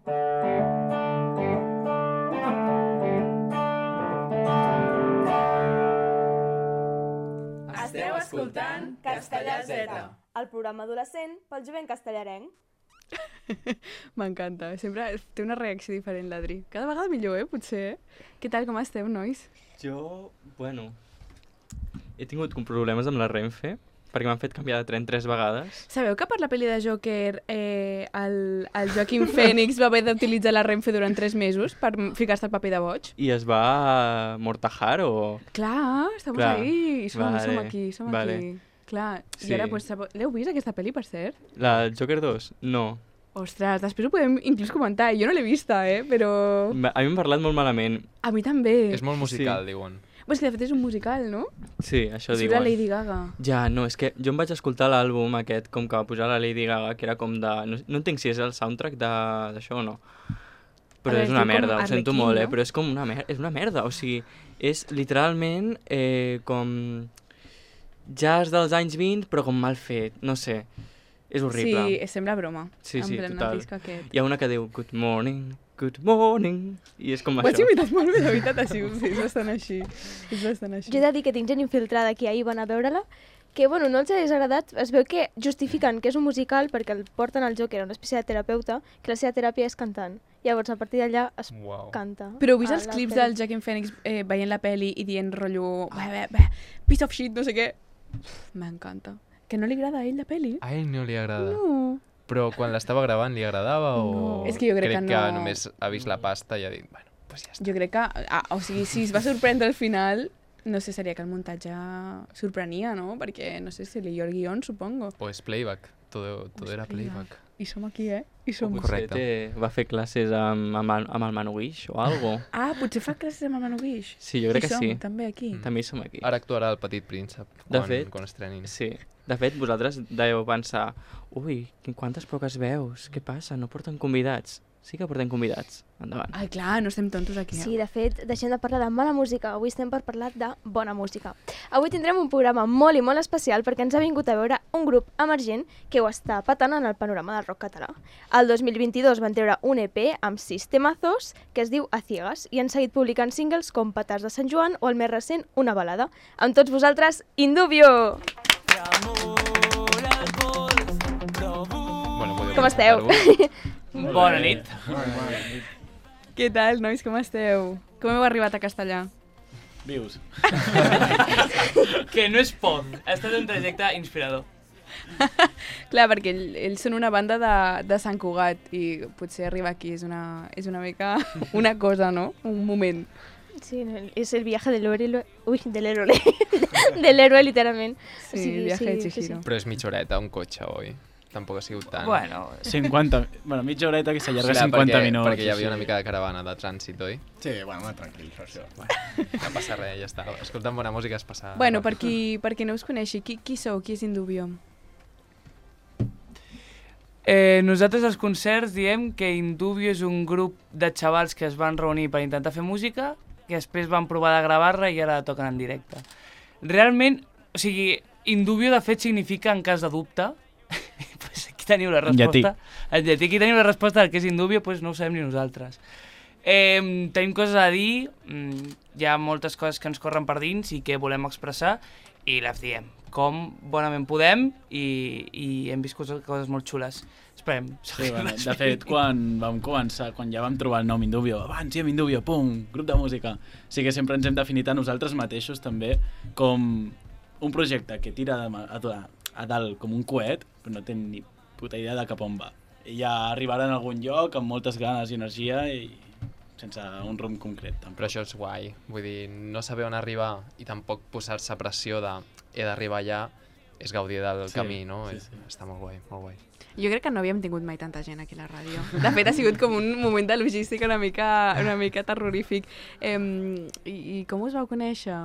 Esteu escoltant Castellà Z, el programa adolescent pel jovent castellarenc. M'encanta, sempre té una reacció diferent l'Adri. Cada vegada millor, potser. Què tal, com esteu, nois? Jo, bueno, he tingut problemes amb la Renfe, perquè m'han fet canviar de tren 3 vegades. Sabeu que per la pel·li de Joker el Joaquin Phoenix va haver d'utilitzar la Renfe durant 3 mesos per ficar-se al paper de boig? I es va mortajar o...? Clar, estamos Clar, ahí, som aquí. Clar, Sí. I ara, pues, l'heu vist aquesta pel·li, per cert? La Joker 2? No. Ostres, després ho podem inclús comentar. Jo no l'he vista, però... A mi m'han parlat molt malament. A mi també. És molt musical, diuen. És que de fet és un musical, no? Sí, això Surt diuen. la Lady Gaga. Ja, no, és que jo em vaig escoltar l'àlbum aquest, com que va pujar la Lady Gaga, que era com de... No entenc si és el soundtrack d'això o no. Però veure, és una es diu merda, com ho sento Arlequín, molt, no? però és com una merda. O sigui, és literalment com jazz dels anys 20, però com mal fet, no sé. És horrible. Sí, sembla broma. Sí, en plan, total. el disc aquest. Hi ha una que diu good morning, i és com Ho has això. imitat molt bé, de veritat, així, sí, és bastant així. És bastant així. Jo he de dir que tinc gent infiltrada aquí, ahir van a veure-la, que bueno, no els ha desagradat, es veu que justifiquen que és un musical perquè el porten al Joker a una espècie de terapeuta, que la seva teràpia és cantant. Llavors, a partir d'allà es canta. Però heu vist a els la clips pel·li. del Joaquin Phoenix veient la peli i dient rotllo piece of shit, no sé què? M'encanta. Que no li agrada a ell la peli? A ell no li agrada. No. Però quan l'estava gravant li agradava o... No. És que jo crec que que no. només ha vist la pasta i ha dit, bueno, pues ja està. Jo crec que... o sigui, si es va sorprendre al final, no sé, seria que el muntatge sorprenia, no? Perquè, no sé, si leyó el guión, supongo. O és playback, todo era playback. I som aquí, I som... Correcte. Va fer classes amb el Manuguix o algo. Potser fa classes amb el Manu Guix. Sí, jo crec que sí. També aquí. També hi som aquí. Ara actuarà el Petit Príncep quan estrenin. Sí. De fet, vosaltres deveu pensar ui, quantes poques veus, què passa? No porten convidats? Sí que portem convidats. Endavant. Ai, clar, no estem tontos aquí. Sí, de fet, deixem de parlar de mala música. Avui estem per parlar de bona música. Avui tindrem un programa molt i molt especial perquè ens ha vingut a veure un grup emergent que ho està patant en el panorama del rock català. El 2022 van treure un EP amb 6 temazos que es diu A Ciegas i han seguit publicant singles com Petards de Sant Joan o el més recent, Una balada. Amb tots vosaltres, Indubio! Com esteu? Bona nit. Què tal, nois, com esteu? Com heu arribat a Castellà? Vius. Que no és poc. Ha estat un trajecte inspirador. Clar, perquè ells són una banda de Sant Cugat i potser arribar aquí és una mica una cosa, no? Un moment. Sí, és el viaje del héroe. Ui, del héroe. Del héroe, literalment. Sí, el viaje de Chihiro. Però és mitja horeta, un cotxe, oi? Tampoc ha sigut tant. Bueno, 50... Bueno, mitja horeta que s'allarga Clar, 50 minuts. Perquè hi havia una mica de caravana de trànsit, oi? Sí, bueno, tranquil, això. No passa res, ja està. Escoltant bona música es passa... Bueno, per qui no us coneixi, qui sou? Qui és Indubio? nosaltres als concerts diem que Indubio és un grup de xavals que es van reunir per intentar fer música, que després van provar de gravar-la i ara toquen en directe. Realment, o sigui, Indubio de fet significa en cas de dubte. Pues aquí teniu la resposta. En llatí. Aquí teniu la resposta del que és Indubio, pues no ho sabem ni nosaltres. Tenim coses a dir, hi ha moltes coses que ens corren per dins i que volem expressar i les diem com bonament podem i hem viscut coses molt xules. Esperem. Sí, bueno, de fet, quan vam començar, quan ja vam trobar el nom Indubio, abans hi ha Indubio, pum, grup de música. Sí que sempre ens hem definit a nosaltres mateixos també com un projecte que tira a dalt com un coet, però no té ni puta idea de cap on va. I ja arribarà en algun lloc amb moltes ganes i energia i sense un rumb concret. Tampoc. Però això és guai, vull dir, no saber on arribar i tampoc posar-se pressió de he d'arribar allà, és gaudir del camí, no? Sí. Està molt guai, molt guai. Jo crec que no havíem tingut mai tanta gent aquí a la ràdio. De fet, ha sigut com un moment de logística una mica terrorífic. I com us vau conèixer?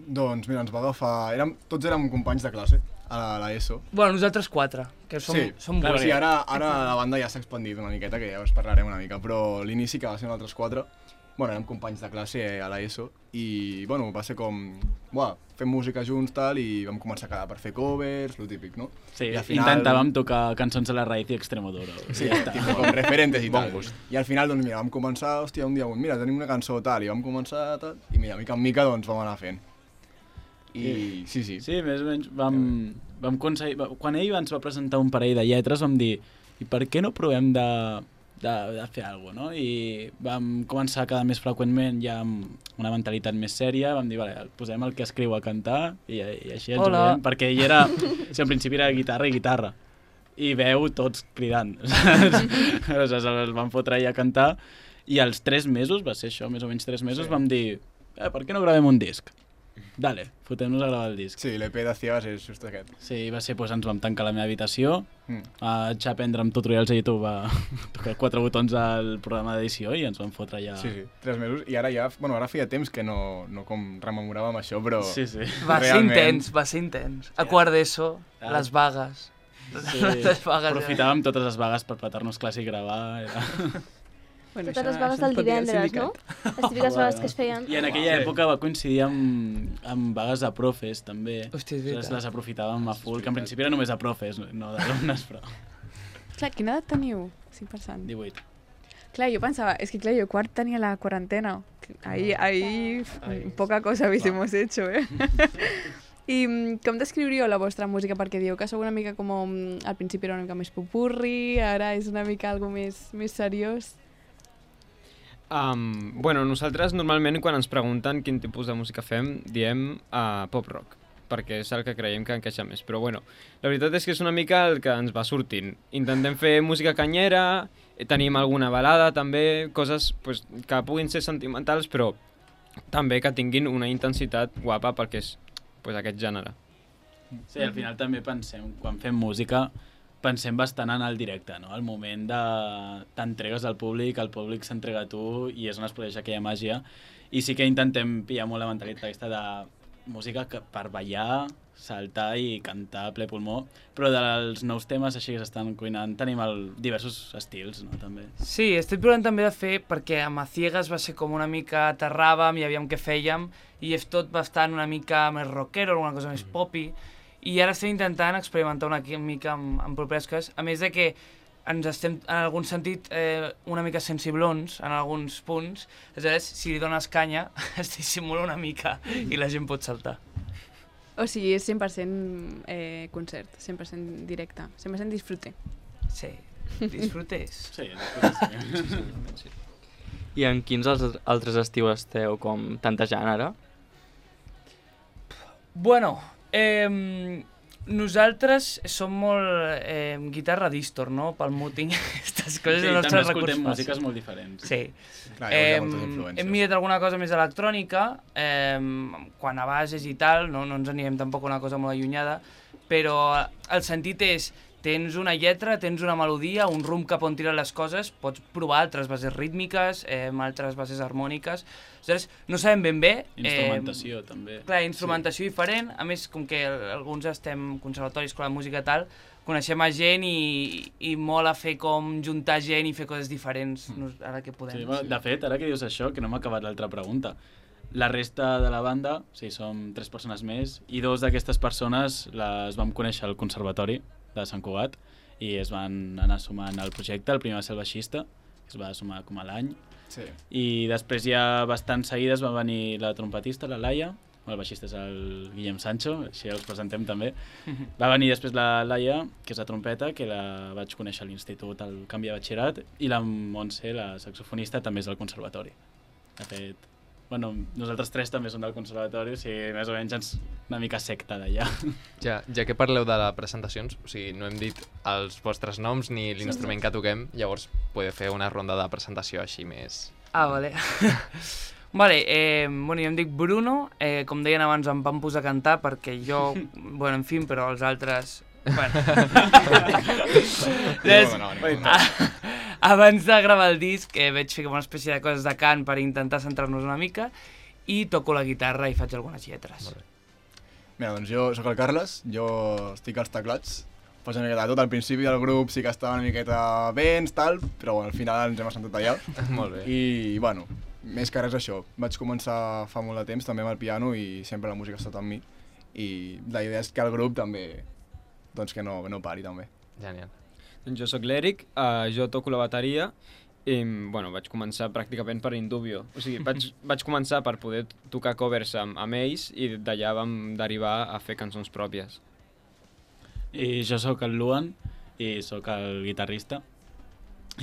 Doncs mira, ens va agafar... Tots érem companys de classe a l'ESO. Bueno, nosaltres 4, que som clar, sí, ara la banda ja s'ha expandit una miqueta, que ja us parlarem una mica, però l'inici que va ser nosaltres 4 bueno, érem companys de classe a l'ESO i, bueno, va ser com, fem música junts tal i vam començar a quedar per fer covers, lo típic, no? Sí, I al final... intentàvem tocar cançons de la Raíz i Extremoduro. Sí, tipus com referentes i tal. Bon gust. I al final, doncs mira, vam començar, hòstia, un dia, mira, tenim una cançó tal, i vam començar tal, i mira, mica en mica, doncs vam anar fent. I sí. Sí, més o menys vam aconseguir... Quan ell ens va presentar un parell de lletres vam dir, i per què no provem de fer alguna cosa, no? I vam començar a quedar més freqüentment ja amb una mentalitat més sèria, vam dir, vale, posem el que escriu a cantar i així ens ho veiem, perquè ell era... Sí, al principi era guitarra i guitarra, i veu tots cridant. Aleshores el vam fotre allà a cantar i als 3 mesos, va ser això, més o menys 3 mesos, vam dir, per què no gravem un disc? Dale, fotem-nos a gravar el disc. Sí, l'EP de Ciegas és just aquest. Sí, va ser, doncs ens vam tancar a la meva habitació, vaig aprendre amb tutorials a YouTube a tocar 4 botons al programa d'edició i ens vam fotre allà... Sí, 3 mesos, i ara ja, bueno, ara feia temps que no com rememoràvem això, però... Sí. Va ser intens. A quart d'ESO, les vagues. Sí, aprofitàvem totes les vagues per petar-nos classe i gravar. Bueno, totes les vagues del divendres, no? Les típiques vagues que es feien. I en aquella època va coincidir amb vagues de profes, també. Hòstia, és veritat. Les aprofitàvem a full, que en principi era només a profes, no d'alumnes, però... Clar, quina edat teniu? 5%. 18. Clar, jo pensava, és que clar, jo quart tenia la quarantena. Ahí poca cosa hubiésemos hecho, eh? I com descriuríeu la vostra música? Perquè dieu que sou una mica com... Al principi era una mica més popurri, ara és una mica algo més seriós. Bueno, nosaltres normalment quan ens pregunten quin tipus de música fem, diem pop-rock, perquè és el que creiem que encaixa més. Però bueno, la veritat és que és una mica el que ens va sortint. Intentem fer música canyera, tenim alguna balada també, coses pues, que puguin ser sentimentals, però també que tinguin una intensitat guapa perquè és pues, aquest gènere. Sí, al final també pensem, quan fem música, pensem bastant en el directe, no? El moment de t'entregues al públic, el públic s'entrega a tu i és on es produeix aquella màgia. I sí que intentem pillar molt la mentalitat aquesta de música per ballar, saltar i cantar a ple pulmó, però dels nous temes així que s'estan cuinant tenim diversos estils, no? També. Sí, estic provant també de fer, perquè amb A Ciegas va ser com una mica aterràvem i aviam què fèiem, i és tot bastant una mica més rockero, alguna cosa més popi, i ara estem intentant experimentar una mica amb properes coses, a més de que ens estem, en algun sentit, una mica sensiblons en alguns punts, aleshores, si li dones canya, es dissimula una mica i la gent pot saltar. O sigui, és 100% concert, 100% directe, 100% disfrute. Sí, disfrutes. Sí. I en quins altres estius esteu com tantejant ara? Bueno, nosaltres som molt guitarra distor, no? Pel muting, aquestes coses sí, del nostre recurs fàcil. Sí, també escoltem músiques molt diferents. Sí. Clar, hem mirat alguna cosa més electrònica, quan a bases i tal, no ens anirem tampoc a una cosa molt allunyada, però el sentit és, tens una lletra, tens una melodia, un rumb cap on tiren les coses, pots provar altres bases rítmiques, altres bases harmòniques. Aleshores, no sabem ben bé... Instrumentació, també. Clar, instrumentació diferent. A més, com que alguns estem conservatoris, escola de música i tal, coneixem a gent i mola fer com juntar gent i fer coses diferents, ara que podem. Sí, de fet, ara que dius això, que no m'ha acabat l'altra pregunta, la resta de la banda, sí, som 3 persones més, i 2 d'aquestes persones les vam conèixer al conservatori de Sant Cugat i es van anar sumant al projecte. El primer va ser el baixista, que es va sumar com a l'any, sí. I després ja bastant seguides va venir la trompetista, la Laia, el baixista és el Guillem Sancho, així els presentem també. Va venir després la Laia, que és la trompeta, que la vaig conèixer a l'institut al canvi de batxillerat, i la Montse, la saxofonista, també és del conservatori. De fet, bueno, nosaltres 3 també som del conservatori, o sigui, més o menys una mica secta d'allà. Ja que parleu de les presentacions, o sigui, no hem dit els vostres noms ni l'instrument que toquem, llavors podeu fer una ronda de presentació així més... Ah, vale. Vale, bueno, jo em dic Bruno, com deien abans em van posar a cantar perquè jo, bueno, en fi, però els altres... Bueno. Abans de gravar el disc vaig fer una espècie de coses de cant per intentar centrar-nos una mica i toco la guitarra i faig algunes lletres. Mira, doncs jo sóc el Carles, jo estic als teclats. Faig una miqueta de tot, al principi del grup sí que estava una miqueta vents, tal, però bueno, al final ens hem assentat allà. Molt bé. I, bueno, més que res això. Vaig començar fa molt de temps també amb el piano i sempre la música ha estat amb mi. I la idea és que el grup també, doncs que no pari també. Genial. Doncs jo sóc l'Eric, jo toco la bateria i bueno, vaig començar pràcticament per Indubio. O sigui, vaig començar per poder tocar covers amb ells i d'allà vam derivar a fer cançons pròpies. I jo sóc el Luan i sóc el guitarrista.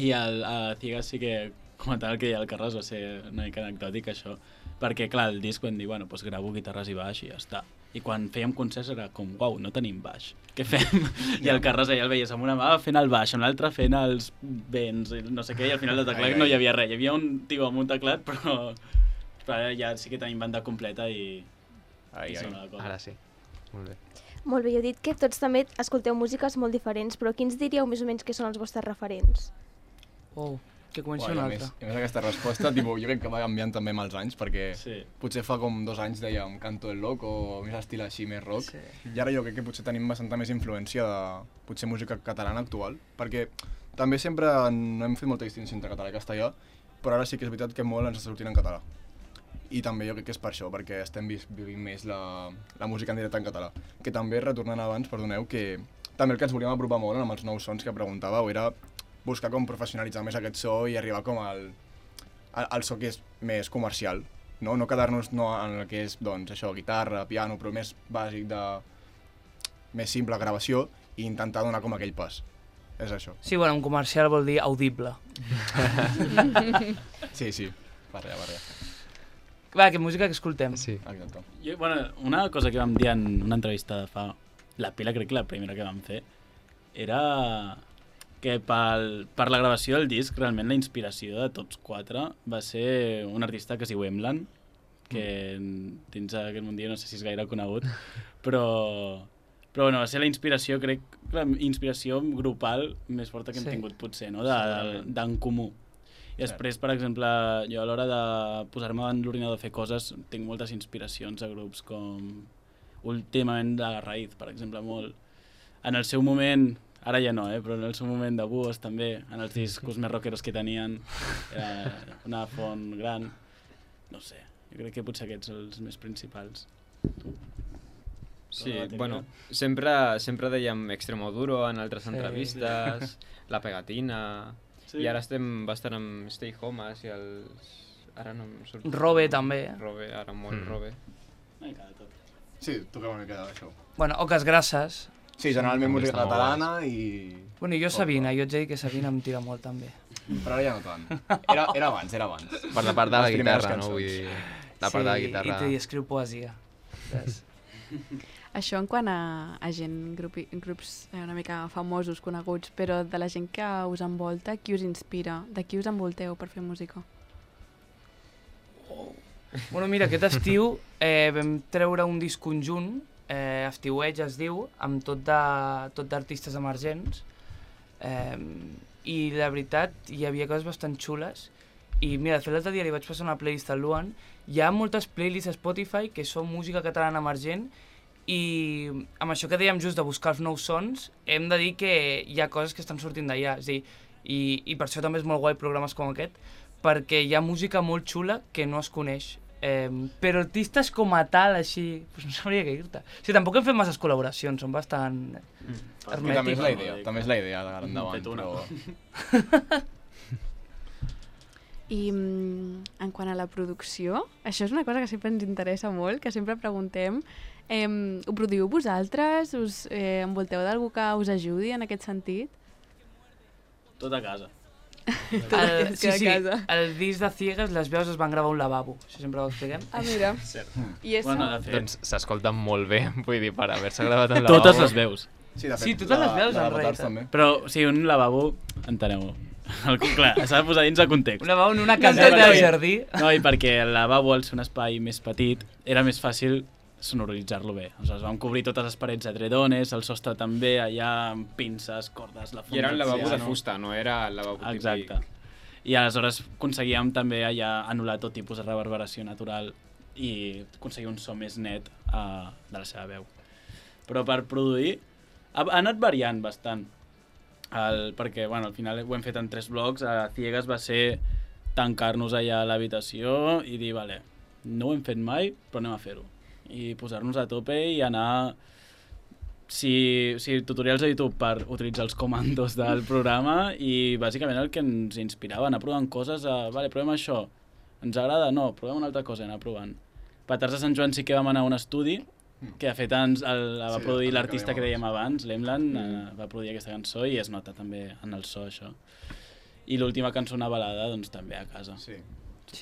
I a Ciegas sí que comentava el que deia el Carles, va ser una mica anecdòtic això, perquè clar, el disc vam dir, bueno, doncs gravo guitarres i baix i ja està. I quan fèiem concerts era com, uau, no tenim baix, què fem? I el Carles allà el veies amb una mà fent el baix, amb l'altra fent els vents, no sé què, i al final del teclat no hi havia res. Hi havia un tio amb un teclat, però ara ja sí que tenim banda completa i sona la cosa. Ara sí, molt bé. Molt bé, heu dit que tots també escolteu músiques molt diferents, però quins diríeu més o menys que són els vostres referents? Oh, que comenci un altre. A més aquesta resposta, jo crec que va canviant també amb els anys, perquè potser fa com 2 anys dèiem Canto el Loco o més estil així, més rock, i ara jo crec que potser tenim bastanta més influència de potser música catalana actual, perquè també sempre no hem fet molta distinció entre català i castellà, però ara sí que és veritat que molt ens està sortint en català. I també jo crec que és per això, perquè estem vivint més la música en directe en català. Que també, retornant abans, perdoneu, que també el que ens volíem apropar molt amb els nous sons que preguntàveu era buscar com professionalitzar més aquest so i arribar com al so que és més comercial, no quedar-nos en el que és, doncs, això, guitarra, piano, però més bàsic més simple gravació i intentar donar com aquell pas. És això. Sí, bueno, un comercial vol dir audible. Sí, barreja. Va, que música que escoltem. Sí. Exacte. Una cosa que vam dir en una entrevista de fa... La Pila, crec que la primera que vam fer, era que per la gravació del disc, realment la inspiració de tots 4 va ser un artista que es diu Emlan, que dins aquest mundillo no sé si és gaire conegut, però bueno, va ser la inspiració, crec, la inspiració grupal més forta que hem tingut potser, no? D'en comú. I després, per exemple, jo a l'hora de posar-me davant l'ordinador a fer coses tinc moltes inspiracions a grups com últimament de la Raïz, per exemple, molt. En el seu moment, ara ja no, però en el seu moment de Búhos també, en els discos més rockeros que tenien, una font gran, no sé, jo crec que potser aquests són els més principals. Sí, bueno, sempre dèiem Extremoduro en altres entrevistes, La Pegatina... I ara estem bastant amb Stay Homes i els... Ara no em surt... Robe també. Robe, ara molt Robe. Sí, toquem una mica d'això. Bueno, Oques Grasses. Sí, generalment música catalana i... Bueno, i jo Sabina, jo et dic que Sabina em tira molt també. Però ara ja no tant. Era abans. Per la part de la guitarra, no? Vull dir, la part de la guitarra... Sí, i escriu poesia. Això en quant a gent, grups una mica famosos, coneguts, però de la gent que us envolta, qui us inspira? De qui us envolteu per fer música? Bueno, mira, aquest estiu vam treure un disc conjunt, Estiueig es diu, amb tot d'artistes emergents, i la veritat hi havia coses bastant xules, i mira, de fet l'altre dia li vaig passar una playlist al Luan, hi ha moltes playlists a Spotify que són música catalana emergent, i amb això que dèiem just de buscar els nous sons, hem de dir que hi ha coses que estan sortint d'allà, és a dir, i per això també és molt guai programes com aquest, perquè hi ha música molt xula que no es coneix, però artistes com a tal, així, doncs no sabria què dir-te. O sigui, tampoc hem fet masses col·laboracions, són bastant hermètics. També és la idea d'ara endavant, però... I en quant a la producció, això és una cosa que sempre ens interessa molt, que sempre preguntem, ho produïu vosaltres? Us envolteu d'algú que us ajudi en aquest sentit? Tot a casa. Sí, el disc de Ciegas, les veus es van gravar a un lavabo, això sempre ho expliquem. Ah, mira. I això? Doncs s'escolta molt bé, vull dir, per haver-se gravat en lavabo. Totes les veus. Sí, totes les veus en realitat. Però, sí, un lavabo, enteneu-ho. Clar, s'ha de posar dins de context. Un lavabo en una caseta de jardí. No, i perquè el lavabo, al ser un espai més petit, era més fàcil sonoritzar-lo bé. Aleshores vam cobrir totes les parets d'edredones, el sostre també, allà amb pinces, cordes, la funda... I era un lavabo de fusta, no era el lavabo típic. Exacte. I aleshores aconseguíem també allà anul·lar tot tipus de reverberació natural i aconseguir un so més net de la seva veu. Però per produir ha anat variant bastant, perquè bueno, al final ho hem fet en 3 blocs. A Ciegas va ser tancar-nos allà a l'habitació i dir, vale, no ho hem fet mai, però anem a fer-ho. I posar-nos a tope i anar... Si tutorials a YouTube per utilitzar els comandos del programa i bàsicament el que ens inspirava, anar provant coses, vale, provem això, ens agrada? No, provem una altra cosa i anar provant. Petards de Sant Joan sí que vam anar a un estudi que de fet va produir l'artista que dèiem abans, l'Emland, va produir aquesta cançó i es nota també en el so això. I l'última cançó, una balada, doncs també a casa. Sí,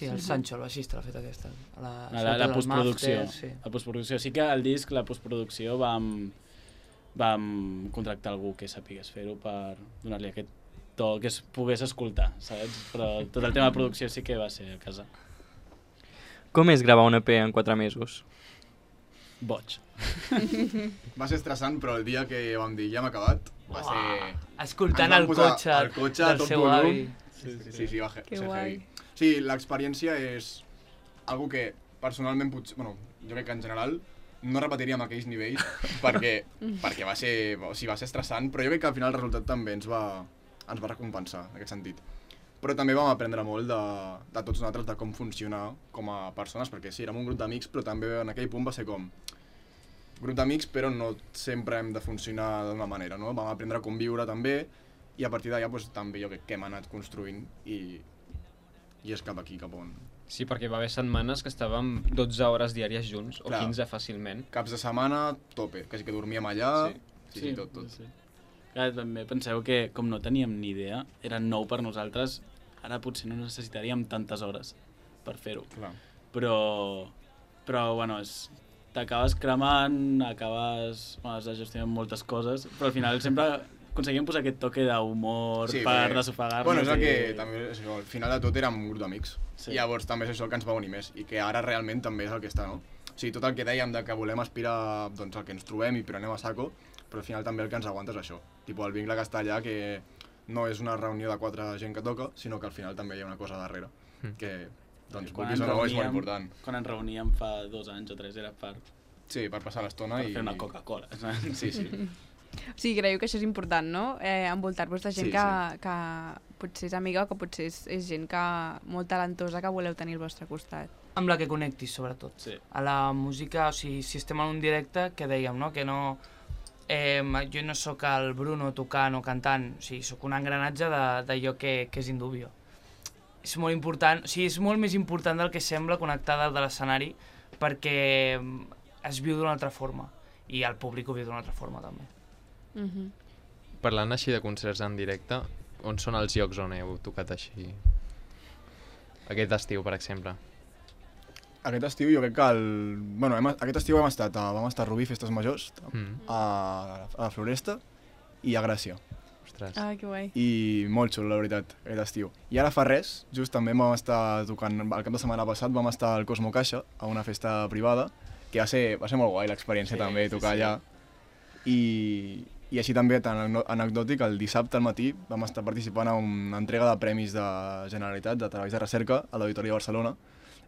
el Sancho, el baixista, l'ha fet aquesta. La postproducció. La postproducció. Sí que al disc, la postproducció, vam contractar algú que sapigués fer-ho per donar-li aquest to que es pogués escoltar, saps? Però tot el tema de producció sí que va ser a casa. Com és gravar un EP en 4 mesos? Boig. Va ser estressant, però el dia que vam dir ja hem acabat, va ser... Escoltant el cotxe del seu avi. Sí, va ser heavy. Sí, l'experiència és algo que personalment potser... Bueno, jo crec que en general no repetiria amb aquells nivells perquè va ser estressant, però jo crec que al final el resultat també ens va recompensar en aquest sentit. Però també vam aprendre molt de tots nosaltres, de com funcionar com a persones, perquè sí, érem un grup d'amics, però també en aquell punt va ser com grup d'amics, però no sempre hem de funcionar d'una manera, no? Vam aprendre a conviure també, i a partir d'allà doncs, també jo crec que hem anat construint i és cap aquí, cap on. Sí, perquè va haver setmanes que estàvem 12 hores diàries junts, o 15 fàcilment. Caps de setmana, tope, quasi que dormíem allà, sí, tot. Clar, també penseu que, com no teníem ni idea, era nou per nosaltres, ara potser no necessitaríem tantes hores per fer-ho. Però bueno, t'acabes cremant, has de gestionar moltes coses, però al final sempre aconseguim posar aquest toque d'humor per desofagar-nos. Bueno, és el que també, al final de tot érem un grup d'amics. I llavors també és això el que ens va unir més i que ara realment també és el que està, no? O sigui, tot el que dèiem de que volem aspirar doncs, al que ens trobem i prenem a saco, però al final també el que ens aguanta és això. Tipo, el vincle que està allà, que no és una reunió de 4 gent que toca, sinó que al final també hi ha una cosa darrere, que, doncs, vulguis o no, és molt important. Quan ens reuníem fa 2 anys o 3 era per... Sí, per passar l'estona i... Per fer una Coca-Cola. Sí. O sigui, creieu que això és important, no? Envoltar-vos de gent que potser és amiga o que potser és gent molt talentosa que voleu tenir al vostre costat. Amb la que connectis, sobretot. Sí. A la música, o sigui, si estem en un directe, que dèiem, no? Que no... jo no sóc el Bruno tocant o cantant, o sigui, sóc un engranatge d'allò que és Indubio. És molt important, o sigui, és molt més important del que sembla connectar dalt de l'escenari, perquè es viu d'una altra forma, i el públic ho viu d'una altra forma, també. Parlant així de concerts en directe, on són els llocs on heu tocat així? Aquest estiu, per exemple. Aquest estiu jo crec que aquest estiu vam estar a Rubí, Festes Majors, a la Floresta i a Gràcia. Ostres. Ah, que guai. I molt xulo, la veritat, aquest estiu. I ara fa res, just també vam estar tocant, el cap de setmana passat vam estar al Cosmo Caixa, a una festa privada, que va ser molt guai l'experiència també, tocar allà. I així també, tan anecdòtic, el dissabte al matí vam estar participant a una entrega de premis de Generalitat, de treballs de recerca, a l'Auditori de Barcelona.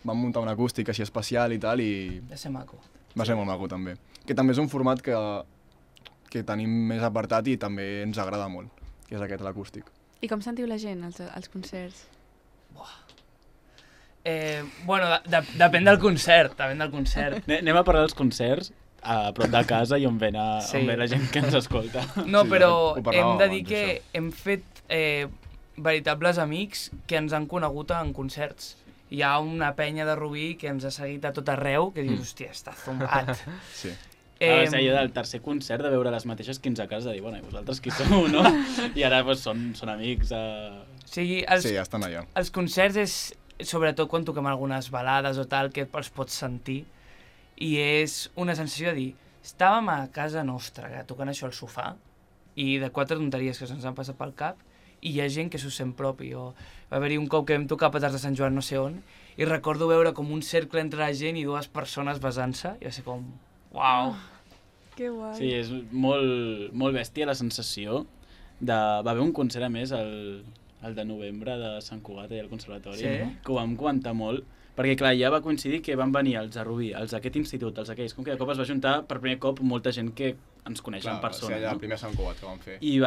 Vam muntar un acústic així especial i tal, i... Va ser maco. Va ser molt maco, també. Que també és un format que tenim més apartat i també ens agrada molt, que és aquest, l'acústic. I com sentiu la gent als concerts? Bueno, depèn del concert, Anem a parlar dels concerts a prop de casa i on ve la gent que ens escolta. No, però hem de dir que hem fet veritables amics que ens han conegut en concerts. Hi ha una penya de Rubí que ens ha seguit a tot arreu, que dius, hòstia, està zombat. Sí. Va ser allò del tercer concert de veure les mateixes 15 cases, de dir, bueno, i vosaltres qui sou, no? I ara són amics. Sí, estan allà. Els concerts és, sobretot quan toquem algunes balades o tal, que els pots sentir, i és una sensació de dir, estàvem a casa nostra tocant això al sofà, i de 4 tonteries que se'ns han passat pel cap, i hi ha gent que s'ho sent propi. Va haver-hi un cop que vam tocar a Petards de Sant Joan no sé on, i recordo veure com un cercle entre la gent i 2 persones besant-se, i va ser com, uau. Que guai. Sí, és molt bèstia la sensació de... Va haver un concert a més, el de novembre de Sant Cugat i al Conservatori, que ho vam comentar molt, perquè clar, ja va coincidir que van venir els de Rubí, els d'aquest institut, els d'aquells, com que de cop es va juntar per primer cop molta gent que ens coneixen en Clar, persona. va ser allà no? el primer Sant Cugat que vam fer. I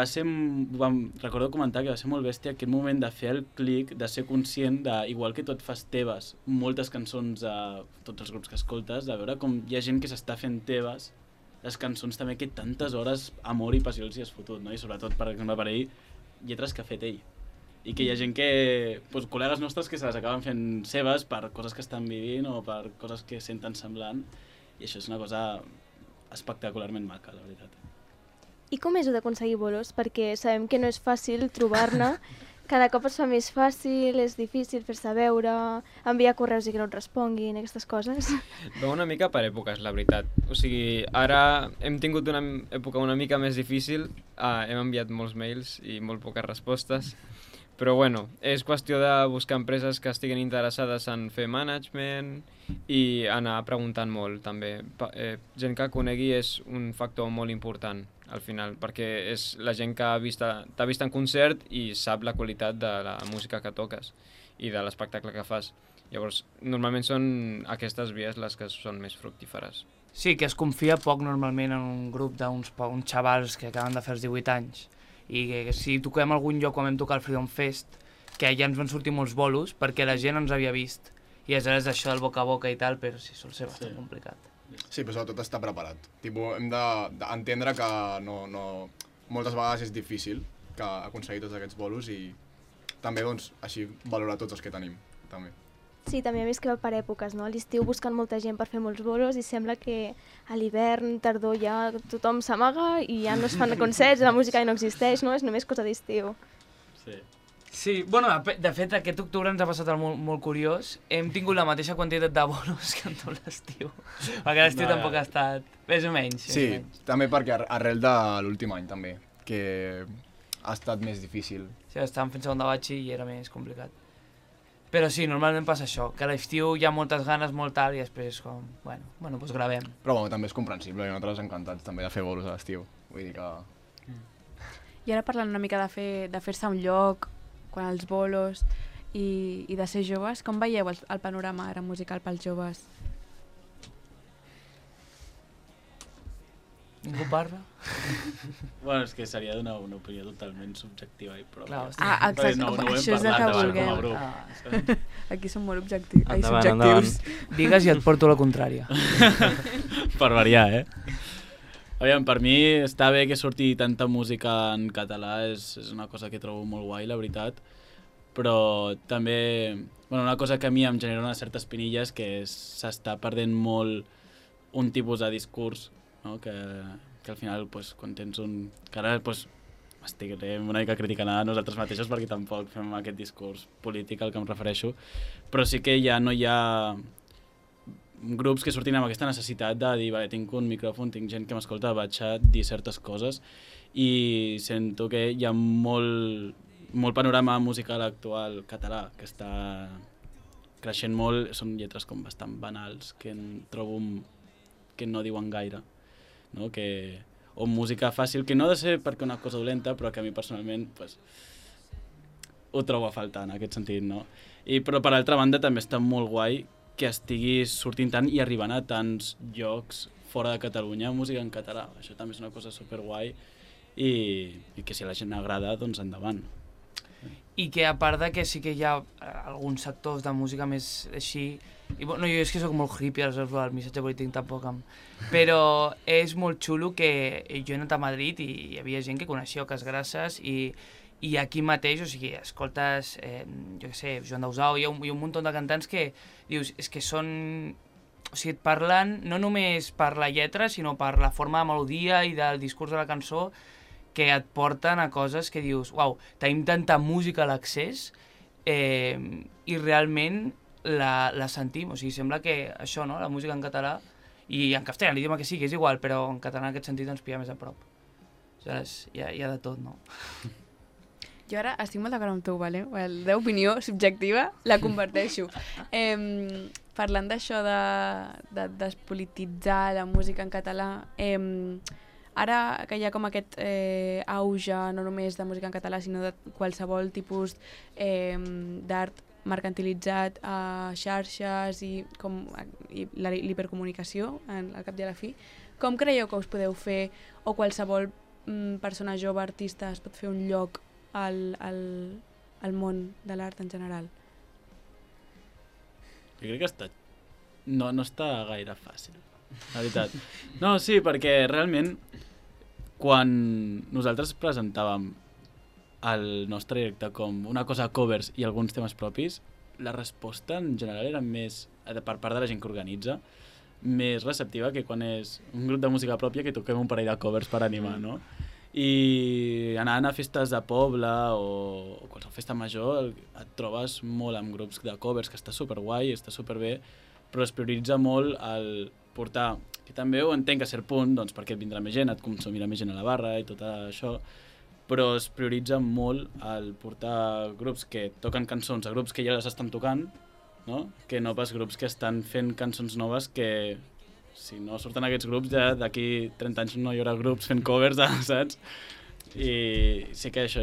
recordo comentar que va ser molt bèstia aquest moment de fer el clic, de ser conscient de, igual que tot fas teves, moltes cançons a tots els grups que escoltes, de veure com hi ha gent que s'està fent teves, les cançons també que tantes hores amor i passió els hi has fotut, no? I sobretot, per exemple, per ell, lletres que ha fet ell. I que hi ha gent que, doncs, col·legues nostres que se les acaben fent seves per coses que estan vivint o per coses que senten semblant, i això és una cosa espectacularment maca, la veritat. I com és d'aconseguir bolos? Perquè sabem que no és fàcil trobar-ne, cada cop es fa més fàcil, és difícil fer-se veure, enviar correus i que no et responguin, aquestes coses. Va una mica per èpoques, la veritat. O sigui, ara hem tingut una època una mica més difícil, hem enviat molts mails i molt poques respostes, però bueno, és qüestió de buscar empreses que estiguin interessades en fer management i anar preguntant molt, també. Gent que conegui és un factor molt important, al final, perquè és la gent que t'ha vist en concert i sap la qualitat de la música que toques i de l'espectacle que fas. Llavors, normalment són aquestes vies les que són més fructíferes. Sí, que es confia poc normalment en un grup d'uns xavals que acaben de fer els 18 anys i que si toquem a algun lloc quan vam tocar el Freedom Fest, que ja ens van sortir molts bolos perquè la gent ens havia vist i aleshores això del boca a boca i tal, però sí, sol ser bastant complicat. Sí, però sobretot estar preparat. Tipo, hem d'entendre que moltes vegades és difícil que aconseguir tots aquests bolos i també, doncs, així valorar tots els que tenim, també. Sí, també a més que va per èpoques, no? A l'estiu busquen molta gent per fer molts bolos i sembla que a l'hivern, tardor, ja tothom s'amaga i ja no es fan concerts, la música ja no existeix, no? És només cosa d'estiu. Sí, bueno, de fet, aquest octubre ens ha passat molt curiós. Hem tingut la mateixa quantitat de bolos que en tot l'estiu. Perquè l'estiu tampoc ha estat... Més o menys. Sí, també perquè arrel de l'últim any, també, que ha estat més difícil. Sí, estàvem fent segon de batxi i era més complicat. Però sí, normalment passa això, que a l'estiu hi ha moltes ganes, molt tard, i després com, bueno, doncs gravem. Però bueno, també és comprensible, i nosaltres encantats també de fer bolos a l'estiu. Vull dir que... I ara parlant una mica de fer-se un lloc, quan els bolos i de ser joves, com veieu el panorama ara musical pels joves? Ningú parla? Bueno, és que seria donar una opinió totalment subjectiva i pròpia. Exacte, això és el que vulguem. Aquí som molt subjectius. Endavant. Digues i et porto la contrària. Per variar, Aviam, per mi està bé que surti tanta música en català, és una cosa que trobo molt guai, la veritat, però també, una cosa que a mi em genera una certa espinilla és que s'està perdent molt un tipus de discurs, no? Que al final, quan tens un... que ara estirem una mica criticant a nosaltres mateixos perquè tampoc fem aquest discurs polític al que em refereixo, però sí que ja no hi ha grups que surtin amb aquesta necessitat de dir, vale, tinc un micròfon, tinc gent que m'escolta, vaig a dir certes coses i sento que hi ha molt panorama musical actual català que està creixent molt, són lletres com bastant banals que trobo que no diuen gaire, no? O música fàcil, que no ha de ser perquè una cosa dolenta, però que a mi personalment ho trobo a faltar en aquest sentit, no? Però per altra banda també està molt guai que estigui sortint tant i arribant a tants llocs fora de Catalunya música en català. Això també és una cosa superguai i que si a la gent agrada, doncs endavant. I que a part de que sí que hi ha alguns sectors de música més així, i bueno, jo és que soc molt hippie, el missatge polític tampoc però és molt xulo que jo he anat a Madrid i hi havia gent que coneixia Oques Grasses i aquí mateix, o sigui, escoltes, jo què sé, Joan Dausau, hi ha un munt de cantants que dius, és que són... O sigui, et parlen no només per la lletra, sinó per la forma de melodia i del discurs de la cançó que et porten a coses que dius, uau, tenim tanta música a l'accés i realment la sentim. O sigui, sembla que això, no?, la música en català i en castellà, l'idioma que sigui, és igual, però en català en aquest sentit ens pilla més a prop. Aleshores, hi ha de tot, no? Jo ara estic molt d'acord amb tu, vale? La teva opinió subjectiva la converteixo. Parlant d'això de despolititzar la música en català, ara que hi ha com aquest auge no només de música en català, sinó de qualsevol tipus d'art mercantilitzat a xarxes i l'hipercomunicació, al cap i a la fi, Com creieu que us podeu fer, o qualsevol persona jove, artista, es pot fer un lloc al món de l'art en general? Jo crec que no està gaire fàcil, la veritat. No, sí, perquè realment quan nosaltres presentàvem el nostre directe com una cosa covers i alguns temes propis, la resposta en general era més, per part de la gent que organitza, més receptiva que quan és un grup de música pròpia que toquem un parell de covers per animar, no? I anant a festes de poble o qualsevol festa major et trobes molt amb grups de covers, que està superguai, està superbé, però es prioritza molt el portar, que també ho entenc a cert punt, doncs perquè et vindrà més gent, et consumirà més gent a la barra i tot això, però es prioritza molt el portar grups que toquen cançons a grups que ja les estan tocant, no? Que no pas grups que estan fent cançons noves que, si no surten aquests grups, ja d'aquí 30 anys no hi haurà grups fent covers, saps? I sí que això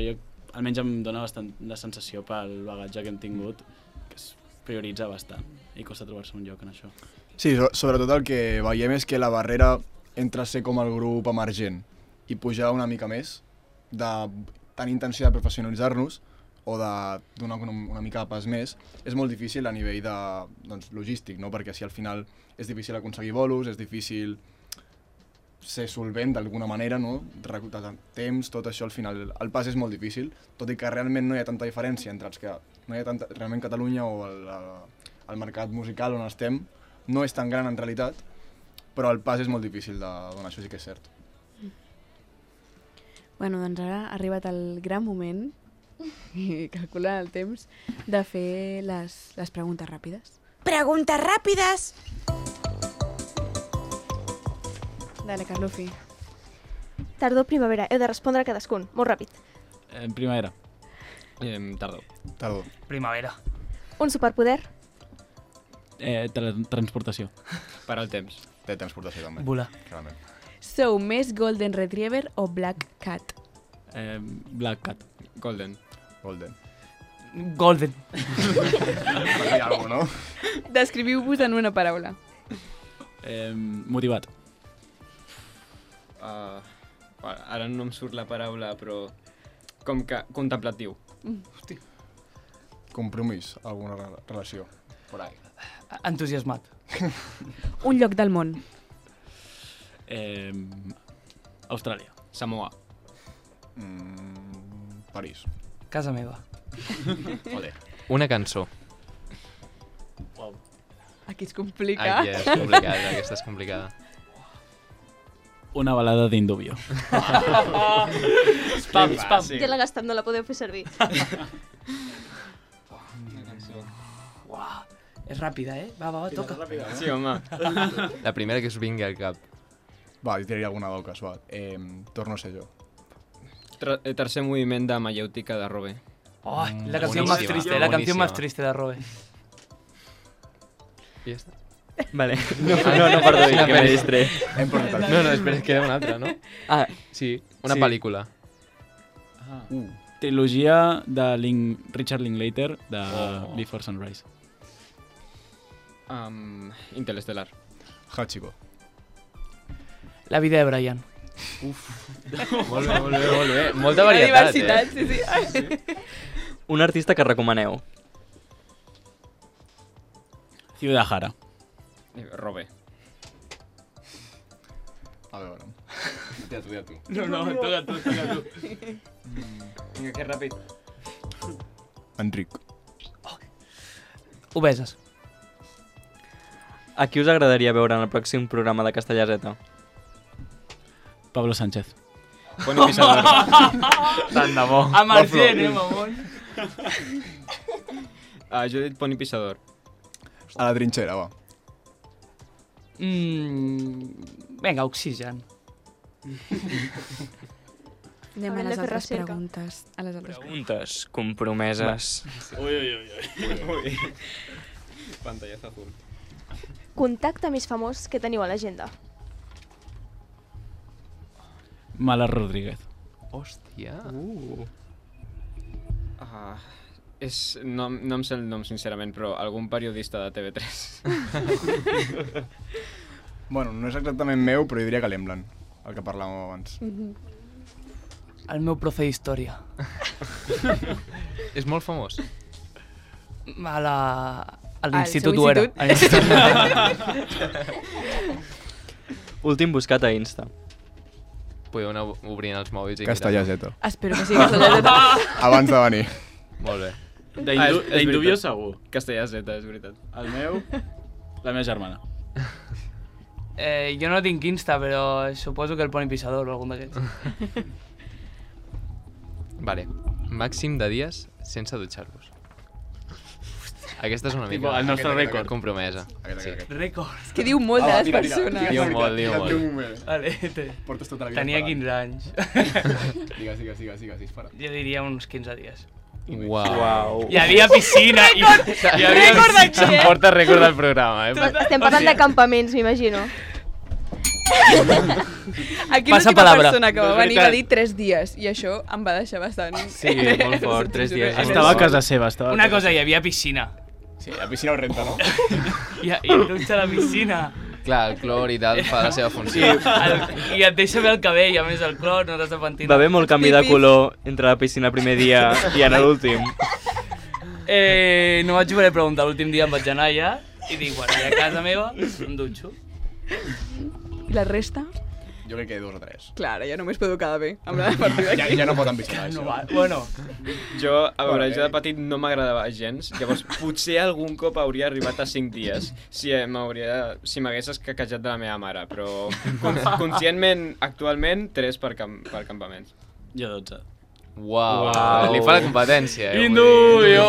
almenys em dona bastant la sensació pel bagatge que hem tingut, que es prioritza bastant i costa trobar-se un lloc en això. Sí, sobretot el que veiem és que la barrera entre ser com el grup emergent i pujar una mica més, de tenir intenció de professionalitzar-nos o de donar una mica de pas més, és molt difícil a nivell de logístic, no? Perquè si al final és difícil aconseguir bolos, és difícil ser solvent d'alguna manera, no? Reclutar temps, tot això al final, el pas és molt difícil, tot i que realment no hi ha tanta diferència entre els que no hi ha tanta, realment Catalunya o el mercat musical on estem no és tan gran en realitat, però el pas és molt difícil de donar, això sí que és cert. Bueno, doncs ara ha arribat el gran moment, i calculant el temps, de fer les preguntes ràpides. Preguntes ràpides! Dale, Carlufi. Tardor, primavera. Heu de respondre cadascun. Molt ràpid. Primavera. Tardor. Tardor. Primavera. Un superpoder. Transportació. Per al temps. Teletransportació també. Volar. Clarament. Sou més Golden Retriever o Black Cat? Black Cat. Golden. Golden. Golden. Per dir alguna cosa, no? Descriviu-vos en una paraula. Motivat. Ara no em surt la paraula, però com que contemplatiu. Hosti. Compromís, alguna relació. Por ahí. Entusiasmat. Un lloc del món. Austràlia. Samoa. París. Casa meva. Joder. Una cançó. Wow. Aquí es complica. Aquí és complicada, aquesta és complicada. Una balada d'Indubio. Spam, spam. Ja l'ha gastat, no la podeu fer servir. Una cançó. Uau. És ràpida, eh? Va, toca. Sí, home. La primera que us vingui al cap. Va, jo tiraria alguna d'oques, va. Torno a ser jo. Tercer moviment de Mayéutica de Robe. Oh, la canción más triste, la canción más triste de Robe. I ja està. Vale. No, perdó, que me distré. No, espera, queda una altra, no? Ah, sí, una sí. pel·lícula. Trilogia de Richard Linklater de Before Sunrise. Interestelar. Hachiko. La vida de Brian. Molt bé. Molta varietat, diversitat, sí. Un artista que recomaneu. Ciudad Jara. Robe. A veure. Dia tu. No, toca tu. Vinga, que ràpid. Enric. Obeses. A qui us agradaria veure en el pròxim programa de Castellà Z? Pablo Sánchez. Poni Pisador. Tant de bo. Amb el gent, mamón. Jo he dit Poni Pisador. A la trinxera, va. Vinga, Oxigen. Anem a les altres preguntes. A les altres Preguntes compromeses. Ui. Pantallazo azul. Contacte més famós que teniu a l'agenda. Mala Rodríguez. Hòstia. No em sé el nom, sincerament, però algun periodista de TV3. Bueno, no és exactament meu, però jo diria que l'Emblan, el que parlàvem abans. El meu profe d'història. És molt famós. A l'institut ho era. Últim buscat a Insta. Podeu anar obrint els mòbils i Castellà Z. Espero que sigui Castellà Z. Abans de venir. Molt bé. D'Indubio segur. Castellà Z, és veritat. El meu, la meva germana. Jo no tinc Insta, però suposo que el Poni Pissador o algun d'aquests. Vale. Màxim de dies sense dutxar-vos. Aquesta és una Tipo, mica el nostre rècord. compromesa. Rècord. És que diu molt de les persones. Diu molt. Vale, Portes tota la vida tenia esperant. 15 anys. Digues, dispara. Jo diria uns 15 dies. Uau. Hi havia piscina. Rècord de què? Porta rècord del programa, Estem parlant de campaments, m'imagino. Aquí Passa l'última palabra. persona que va No és venir va veritat. dir 3 dies i això em va deixar bastant... Sí, molt fort, 3 dies. Estava a casa seva. Una cosa, hi havia piscina. Sí, la piscina ho renta, no? I dutxa a la piscina. Clar, el clor i tal fa la seva funció. I et deixa bé el cabell, a més el clor, no t'has de pentir. Va haver molt canvi de color entre la piscina el primer dia i en l'últim. No vaig voler preguntar, l'últim dia em vaig anar allà i dic, bueno, a casa meva em dutxo. I la resta? Jo crec que 2 o 3. Clar, ja només puedo quedar bé amb la partida d'aquí. Ja no pot ambicionar, No això. va, bueno, Jo, a veure, jo de petit no m'agradava gens, llavors potser algun cop hauria arribat a 5 dies si m'hagués escaquejat de la meva mare, però conscientment, actualment, 3 per campaments. Jo 12. Uau. Li fa la competència, Indubio!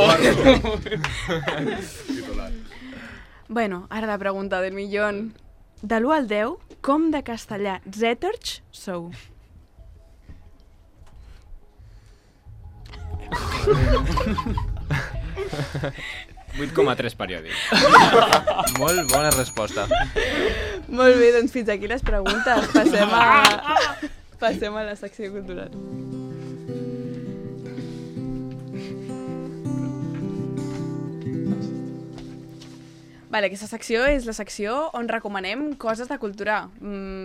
Bueno, ara la pregunta del millón. De l'1 al 10, com de castellà zèterx sou? Vuit 8,3 periòdic. Molt bona resposta. Molt bé, doncs fins aquí les preguntes. Passem a la secció cultural. Vale, aquesta secció és la secció on recomanem coses de cultura.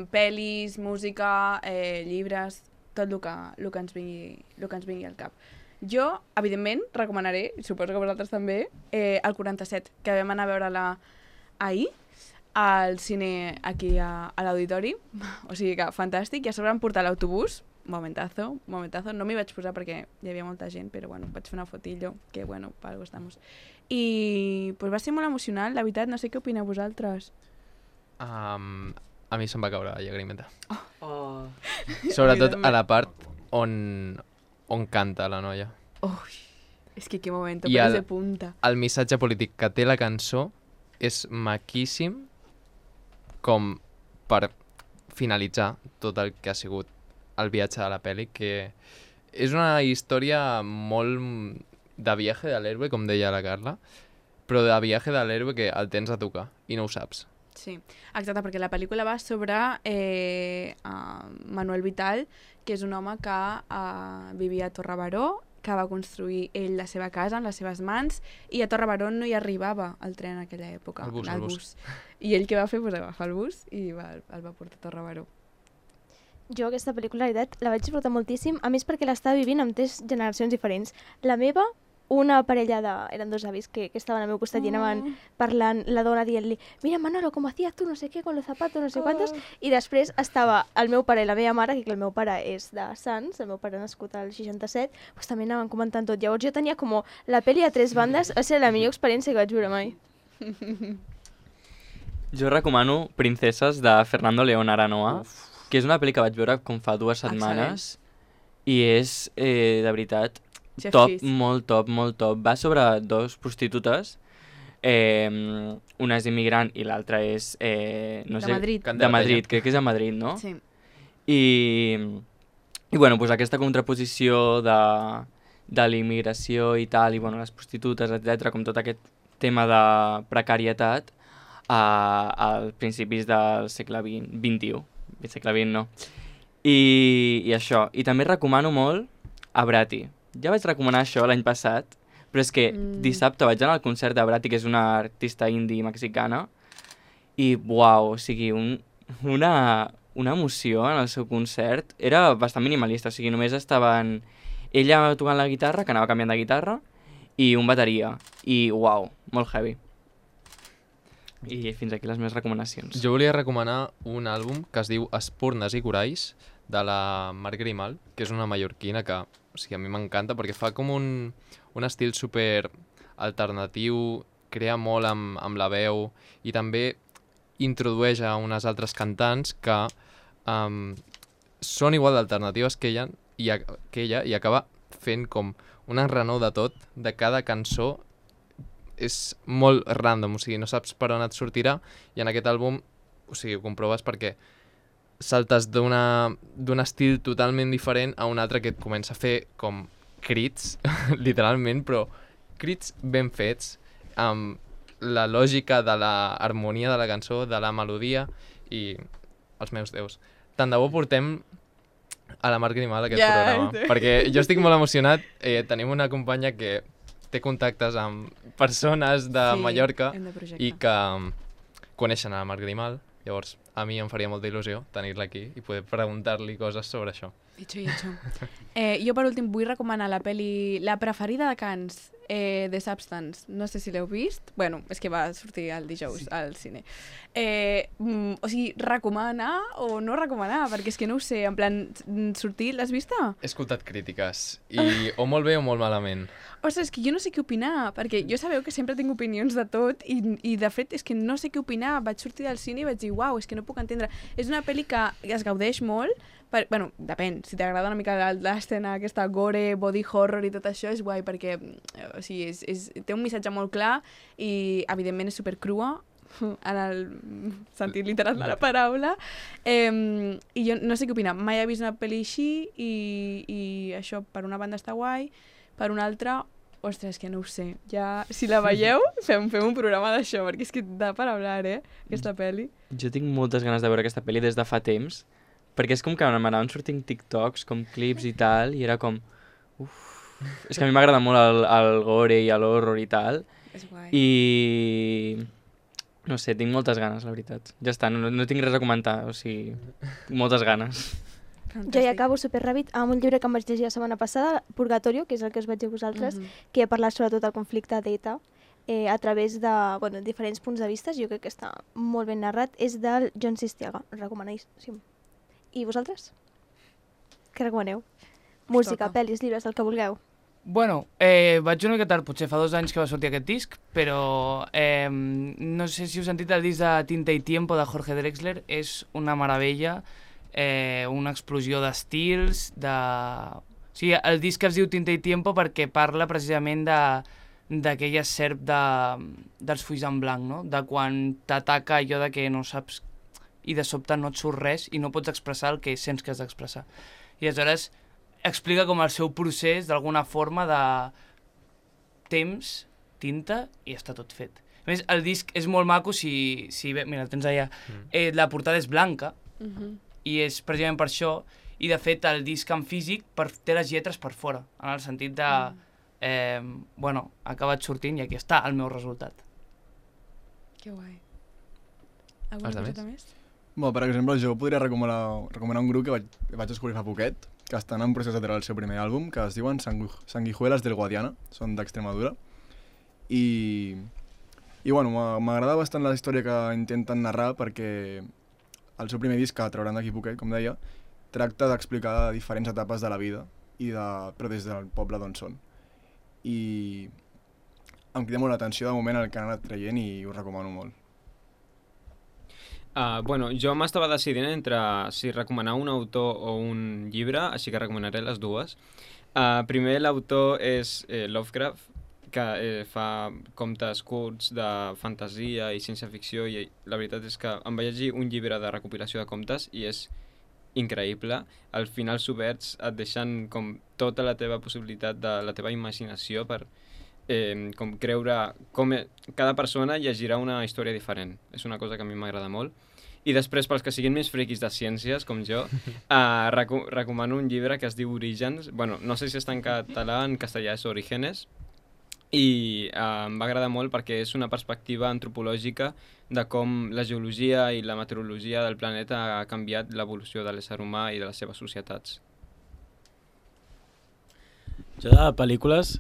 Pel·lis, música, llibres, tot el que ens vingui al cap. Jo, evidentment, recomanaré, i suposo que vosaltres també, el 47, que vam anar a veure-la ahir, al cine aquí a l'auditori. O sigui que fantàstic. I a sobre em portar l'autobús. Momentazo. No m'hi vaig posar perquè hi havia molta gent, però bueno, vaig fer una fotillo, que bueno, per algo estamos. I pues va ser molt emocionant, la veritat, no sé què opineu vosaltres. A mi se'm va caure la llagrimeta. Oh. Sobretot a la part on canta la noia. Ui, és que qué moment, I pelos de punta. El missatge polític que té la cançó és maquíssim com per finalitzar tot el que ha sigut el viatge de la pel·li, que és una història molt de viatge de l'héroe, com deia la Carla, però de viatge de l'héroe que el tens a tocar i no ho saps. Sí, exacte, perquè la pel·lícula va sobre Manuel Vital, que és un home que vivia a Torrebaró, que va construir ell la seva casa amb les seves mans, i a Torrebaró no hi arribava el tren en aquella època. El bus. I ell què va fer? Pues va agafar el bus i el va portar a Torrebaró. Jo aquesta pel·lícula, la veritat, la vaig disfrutar moltíssim, a més perquè l'estava vivint amb 3 generacions diferents. La meva, una parella eren 2 avis que estaven al meu costat i anaven parlant, la dona dient-li mira Manolo, com hacías tú, no sé què, con los zapatos, no sé quantos, i després estava el meu pare i la meva mare, que el meu pare és de Sants, el meu pare nascut al 67, doncs també anaven comentant tot. Llavors jo tenia com la pel·li a 3 bandes, va ser la millor experiència que vaig viure mai. Jo recomano Princeses de Fernando León Aranoa, que és una pel·li que vaig veure com fa 2 setmanes i és, de veritat, top, molt top. Va sobre 2 prostitutes, una és immigrant i l'altra és, no sé... De Madrid, crec que és a Madrid, no? Sí. I bueno, pues aquesta contraposició de l'immigració i tal, i bueno, les prostitutes, etc, com tot aquest tema de precarietat als principis del segle XXI. Segle XX, no. I això. I també recomano molt a Brati. Ja vaig recomanar això l'any passat, però és que dissabte vaig anar al concert de Brati, que és una artista indie mexicana, i uau, o sigui, una emoció en el seu concert. Era bastant minimalista, o sigui, només estaven ella tocant la guitarra, que anava canviant de guitarra, i un bateria. I uau, molt heavy. I fins aquí les meves recomanacions. Jo volia recomanar un àlbum que es diu Espurnes i Coralls, de la Mar Grimal, que és una mallorquina que o sigui, a mi m'encanta perquè fa com un estil super alternatiu, crea molt amb la veu i també introdueix a unes altres cantants que són igual d'alternatives que ella i acaba fent com un enrenou de tot, de cada cançó. És molt random, o sigui, no saps per on et sortirà, i en aquest àlbum, o sigui, ho comproves perquè saltes d'un estil totalment diferent a un altre que et comença a fer com crits, literalment, però crits ben fets, amb la lògica de l'harmonia de la cançó, de la melodia, i els meus déus. Tant de bo portem a la Mar Grimal aquest programa, perquè jo estic molt emocionat, tenim una companya que té contactes amb persones de Mallorca i que coneixen a la Mar Grimal, llavors a mi em faria molta il·lusió tenir-la aquí i poder preguntar-li coses sobre això. Hecho. Jo per últim vull recomanar la pel·li La preferida de Cans, The Substance. No sé si l'heu vist. Bueno, és que va sortir el dijous al cine. O sigui, recomanar o no recomanar, perquè és que no ho sé, en plan, sortir, l'has vista? He escoltat crítiques, i o molt bé o molt malament. Ostres, és que jo no sé què opinar, perquè jo sabeu que sempre tinc opinions de tot i de fet és que no sé què opinar. Vaig sortir del cine i vaig dir, uau, és que no puc entendre. És una pel·li que es gaudeix molt, bueno, depèn, si t'agrada una mica l'escena aquesta gore, body horror i tot això, és guai perquè o sigui, té un missatge molt clar i evidentment és supercrua en el sentit literal de la paraula, i jo no sé què opinar. Mai he vist una pel·li així i això per una banda està guai, per una altra, ostres, que no ho sé. Ja, si la veieu, fem un programa d'això, perquè és que da per hablar, aquesta pel·li. Jo tinc moltes ganes de veure aquesta pel·li des de fa temps, perquè és com que m'anaven sortint TikToks, com clips i tal, i era com... És que a mi m'agrada molt el gore i l'horror i tal. És guai. I... no sé, tinc moltes ganes, la veritat. Ja està, no tinc res a comentar, o sigui, tinc moltes ganes. Fantàstic. Jo ja acabo superràpid amb un llibre que em vaig llegir la setmana passada, Purgatorio, que és el que us vaig dir a vosaltres, que ha parlat sobretot del conflicte d'ETA a través de diferents punts de vista. Jo crec que està molt ben narrat. És del John Sistiaga, recomanadíssim. I vosaltres? Què recomaneu? Música, pel·lis, llibres, el que vulgueu. Bueno, vaig una mica tard, potser fa 2 anys que va sortir aquest disc, però no sé si heu sentit el disc de Tinta y Tiempo de Jorge Drexler, és una meravella, una explosió d'estils, O sigui, el disc es diu Tinta y Tiempo perquè parla precisament d'aquella serp dels fulls en blanc, no? De quan t'ataca allò de que no saps i de sobte no et surt res i no pots expressar el que sents que has d'expressar. I aleshores explica com el seu procés d'alguna forma de temps, tinta i està tot fet. A més, el disc és molt maco si mira, el tens allà. La portada és blanca i és precisament per això, i de fet el disc en físic té les lletres per fora, en el sentit de bueno, ha acabat sortint i aquí està el meu resultat. Que guai. Alguna cosa més? Bueno, per exemple, jo podria recomanar un grup que vaig descobrir fa poquet, que estan en procés de treure el seu primer àlbum, que es diuen Sanguijuelas del Guadiana, són d'Extremadura. I bueno, m'agrada bastant la història que intenten narrar perquè el seu primer disc, que trauran d'aquí poquet, com deia, tracta d'explicar diferents etapes de la vida, però des del poble d'on són. I em crida molt l'atenció de moment el que han anat traient i ho recomano molt. Bueno, jo m'estava decidint entre si recomanar un autor o un llibre, així que recomanaré les dues. Primer, l'autor és Lovecraft, que fa contes curts de fantasia i ciència-ficció, i la veritat és que em vaig llegir un llibre de recopilació de contes i és increïble. Al final oberts et deixen com tota la teva possibilitat de la teva imaginació per com creure com cada persona llegirà una història diferent. És una cosa que a mi m'agrada molt. I després, pels que siguin més friquis de ciències, com jo, recomano un llibre que es diu Orígens. Bueno, no sé si està en català, en castellà és Orígenes, i em va agradar molt perquè és una perspectiva antropològica de com la geologia i la meteorologia del planeta ha canviat l'evolució de l'ésser humà i de les seves societats. Jo de pel·lícules,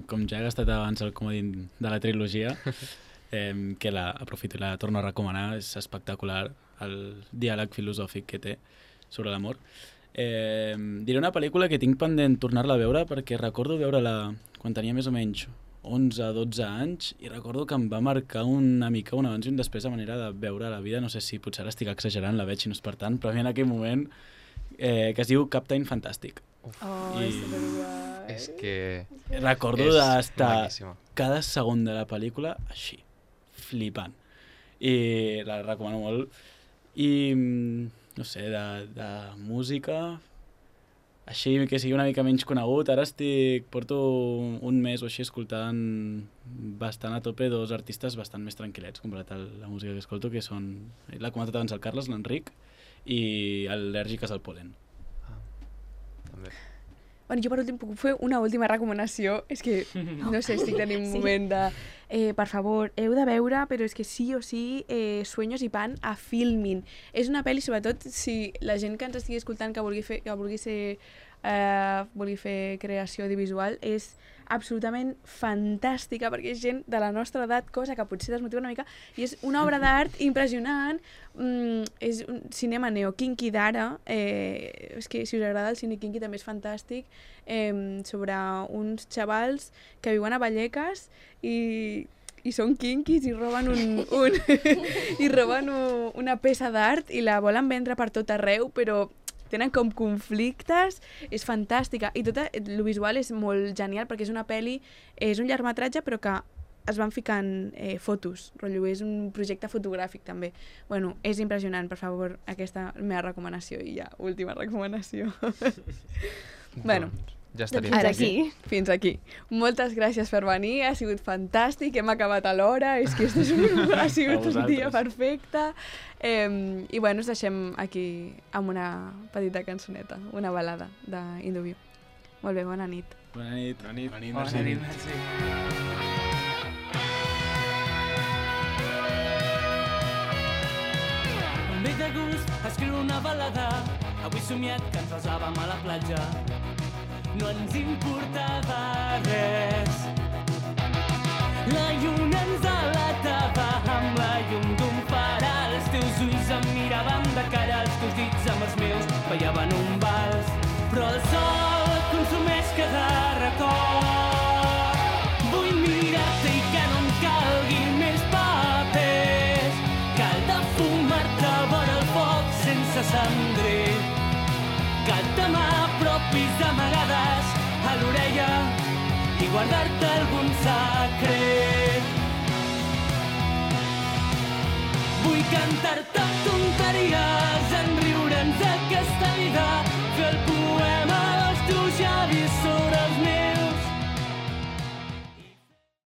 com ja he gastat abans el comodín de la trilogia, que aprofito i la torno a recomanar, és espectacular el diàleg filosòfic que té sobre l'amor. Diré una pel·lícula que tinc pendent tornar-la a veure perquè recordo veure-la quan tenia més o menys 11-12 anys i recordo que em va marcar una mica un abans i un després de manera de veure la vida. No sé si potser ara estic exagerant, la veig i no és per tant, però a mi en aquell moment que es diu Captain Fantastic. És superguai. És que... Recordo és d'estar maquíssima. cada segon de la pel·lícula així, flipant. I la recomano molt. I, no sé, de música, així que sigui una mica menys conegut. Ara porto un mes o així escoltant bastant a tope dos artistes bastant més tranquil·lets comparat a la música que escolto, que són, l'ha comentat abans el Carles, l'Enric, i al·lèrgiques al polen. També. Bueno, jo per últim puc fer una última recomanació. És que, no sé, estic tenint un moment de... per favor, heu de veure, però és que sí o sí, Sueños y Pan a Filmin. És una pel·li, sobretot, si la gent que ens estigui escoltant que vulgui fer creació audiovisual, és absolutament fantàstica, perquè és gent de la nostra edat, cosa que potser desmotiva una mica, i és una obra d'art impressionant. És un cinema neo-kinky d'ara, és que si us agrada el cine kinky també és fantàstic, sobre uns xavals que viuen a Vallecas i són kinkis i roben i roben una peça d'art i la volen vendre per tot arreu, però tenen com conflictes, és fantàstica. I tot el visual és molt genial perquè és una pel·li, és un llargmetratge però que es van ficant fotos, rotllo, és un projecte fotogràfic també. Bueno, és impressionant, per favor, aquesta meva recomanació i ja, última recomanació. Bueno, ja estaria. Ara aquí. Fins aquí. Moltes gràcies per venir, ha sigut fantàstic, hem acabat a l'hora, és que ha sigut un dia perfecte. I bueno, us deixem aquí amb una petita cançoneta, una balada d'Indubio. Molt bé, bona nit. Bona nit. Bona nit. Bona nit, Bona nit, merci. Em ve de gust escriure una balada, avui somiat que ens besàvem a la platja. No ens importava res. La lluna ens alatava amb la llum d'un far. Els teus ulls em miraven de cara, els teus dits amb els meus ballaven un vals. Però el sol consumeix cada record. Vull mirar-te i que no em calgui més papers. Cal de fumar-te vora el foc sense cendrer. Que t'apropis d'amagades a l'orella i guardar-te algun secret. Vull cantar-te